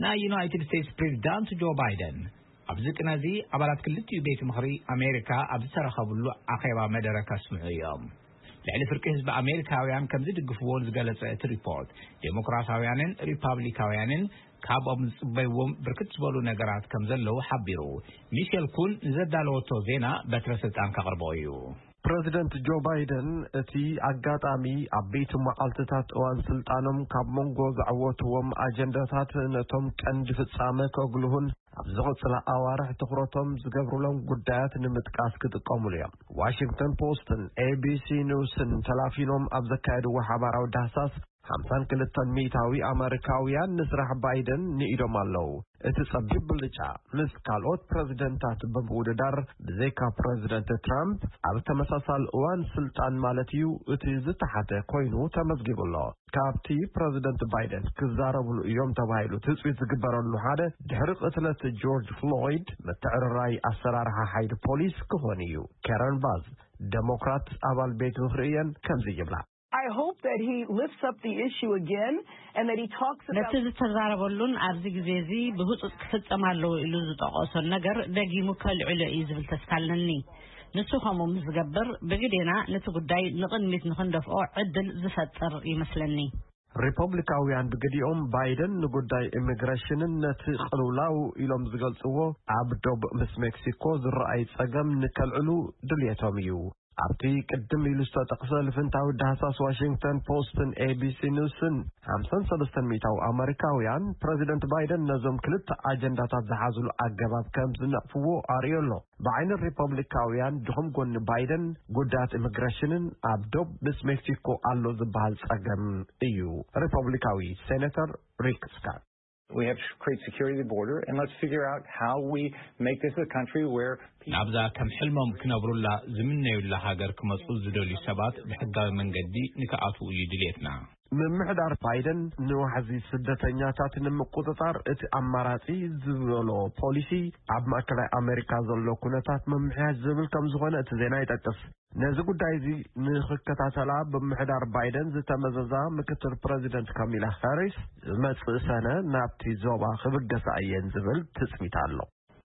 ናይ ዩናይትድ ስቴትስ ፕሬዚዳንት ጆ ባይደን ኣብዚ ቅነዚ ኣባላት ክልቲኡ ቤት ምኽሪ ኣሜሪካ ኣብ ዝተረኸብሉ ኣኼባ መደረ ከስምዑ እዮም። ልዕሊ ፍርቂ ህዝቢ ኣሜሪካውያን ከም ዝድግፍዎ ዝገለጸ እቲ ሪፖርት፣ ዴሞክራሲያውያንን ሪፓብሊካውያንን ካብኦም ዝጽበይዎም ብርክት ዝበሉ ነገራት ከም ዘለዉ ሓቢሩ። ሚሸል ኩን ንዘዳለወቶ ዜና በትረ ስልጣን ከቕርቦ እዩ። ፕረዚደንት ጆ ባይደን እቲ ኣጋጣሚ ኣብ ቤት መዓልትታት እዋን ስልጣኖም ካብ መንጎ ዘዕወትዎም ኣጀንዳታት ነቶም ቀንዲ ፍጻመ ከጉልሁን ኣብ ዝቕጽላ ኣዋርሕ ትኹረቶም ዝገብሩሎም ጉዳያት ንምጥቃስ ክጥቀሙሉ እዮም። ዋሽንግተን ፖስትን ኤቢሲ ኒውስን ተላፊኖም ኣብ ዘካየድዎ ሓባራዊ ዳህሳስ ሓምሳን ክልተን ሚእታዊ ኣመሪካውያን ንስራሕ ባይደን ንኢዶም ኣለዉ። እቲ ጸቢብ ብልጫ ምስ ካልኦት ፕረዚደንታት ብምውድዳር ብዘይካ ፕረዚደንት ትራምፕ ኣብ ተመሳሳሊ እዋን ስልጣን ማለት እዩ እቲ ዝተሓተ ኮይኑ ተመዝጊቡ ኣሎ። ካብቲ ፕረዚደንት ባይደን ክዛረብሉ እዮም ተባሂሉ ትጽቢት ዝግበረሉ ሓደ ድሕሪ ቅትለት ጆርጅ ፍሎይድ ምትዕርራይ ኣሰራርሓ ሓይሊ ፖሊስ ክኾን እዩ። ከረን ባዝ ደሞክራት ኣባል ቤት ምኽሪ እየን ከምዚ ይብላ። I hope that he lifts up the issue again and that he talks about ነቲ ዝተዛረበሉን ኣብዚ ግዜ እዚ ብህጹጽ ክፍጸም ኣለዎ ኢሉ ዝጠቐሶን ነገር ደጊሙ ከልዕሎ እዩ ዝብል ተስፋ ኣለኒ። ንሱ ከምኡ ምስ ዝገብር ብግዴና ነቲ ጉዳይ ንቕድሚት ንኽንደፍኦ ዕድል ዝፈጥር ይመስለኒ። ሪፐብሊካውያን ብግዲኦም ባይደን ንጉዳይ ኢሚግሬሽንን ነቲ ቅልውላው ኢሎም ዝገልጽዎ ኣብ ዶብ ምስ ሜክሲኮ ዝረኣይ ጸገም ንከልዕሉ ድልየቶም እዩ። ኣብቲ ቅድም ኢሉ ዝተጠቕሰ ልፍንታዊ ዳህሳስ ዋሽንግተን ፖስትን ኤቢሲ ኒውስን ሓምሳን ሰለስተን ሚእታዊ ኣመሪካውያን ፕረዚደንት ባይደን ነዞም ክልተ ኣጀንዳታት ዝሓዝሉ ኣገባብ ከም ዝነቕፍዎ ኣርእዮ ኣሎ። ብዓይኒ ሪፐብሊካውያን ድኹም ጎኒ ባይደን ጉዳያት ኢሚግሬሽንን ኣብ ዶብ ምስ ሜክሲኮ ኣሎ ዝበሃል ጸገም እዩ። ሪፐብሊካዊ ሴኔተር ሪክ ስካት We have to create security at the border, and let's figure out how we make this a country where people ናብዛ ከም ሕልሞም ክነብሩላ ዝምነዩላ ሃገር ክመጹ ዝደልዩ ሰባት ብሕጋዊ መንገዲ ንክኣትዉ እዩ ድልየትና። ምምሕዳር ባይደን ንዋሕዚ ስደተኛታት ንምቁጽጻር እቲ ኣማራጺ ዝበሎ ፖሊሲ ኣብ ማእከላይ ኣሜሪካ ዘሎ ኩነታት ምምሕያሽ ዝብል ከም ዝኾነ እቲ ዜና ይጠቅስ። ነዚ ጉዳይ እዚ ንኽከታተላ ብምሕዳር ባይደን ዝተመዘዛ ምክትል ፕረዚደንት ካሚላ ሃሪስ ዝመጽእ ሰነ ናብቲ ዞባ ክብገሳ እየን ዝብል ትጽቢት ኣሎ።